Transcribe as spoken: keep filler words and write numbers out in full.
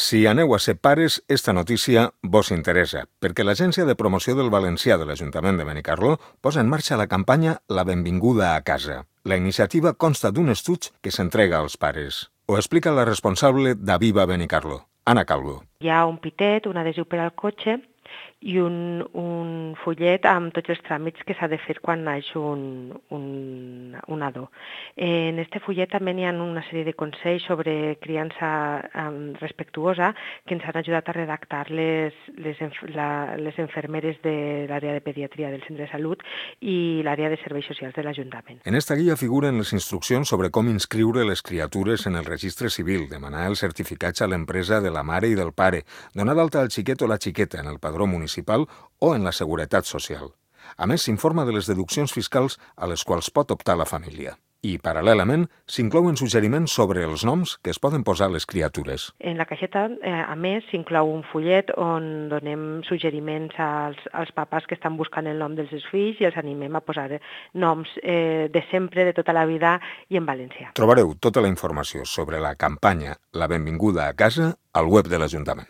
Si aneu a ser pares, esta notícia vos interessa, perquè l'Agència de Promoció del Valencià de l'Ajuntament de Benicarló posa en marxa la campanya La benvinguda a casa. La iniciativa consta d'un estuig que s'entrega als pares. Ho explica la responsable d'Aviva Benicarló, Anna Calvo. Hi ha un pitet, un adhesiu per al cotxe i un, un fullet amb tots els tràmits que s'ha de fer quan naix un, un, un nadó. En este fullet també hi ha una sèrie de consells sobre criança um, respectuosa que ens han ajudat a redactar les, les, la, les infermeres de l'àrea de pediatria del centre de salut i l'àrea de serveis socials de l'Ajuntament. En esta guia figuren les instruccions sobre com inscriure les criatures en el registre civil, demanar els certificats a l'empresa de la mare i del pare, donar d'alta al xiquet o la xiqueta en el padró municipal o en la Seguretat Social. A més, s'informa de les deduccions fiscals a les quals pot optar la família. I, paral·lelament, s'inclouen suggeriments sobre els noms que es poden posar a les criatures. En la caixeta, eh, a més, s'inclou un fullet on donem suggeriments als, als papes que estan buscant el nom dels seus fills i els animem a posar noms eh, de sempre, de tota la vida i en valencià. Trobareu tota la informació sobre la campanya La benvinguda a casa al web de l'Ajuntament.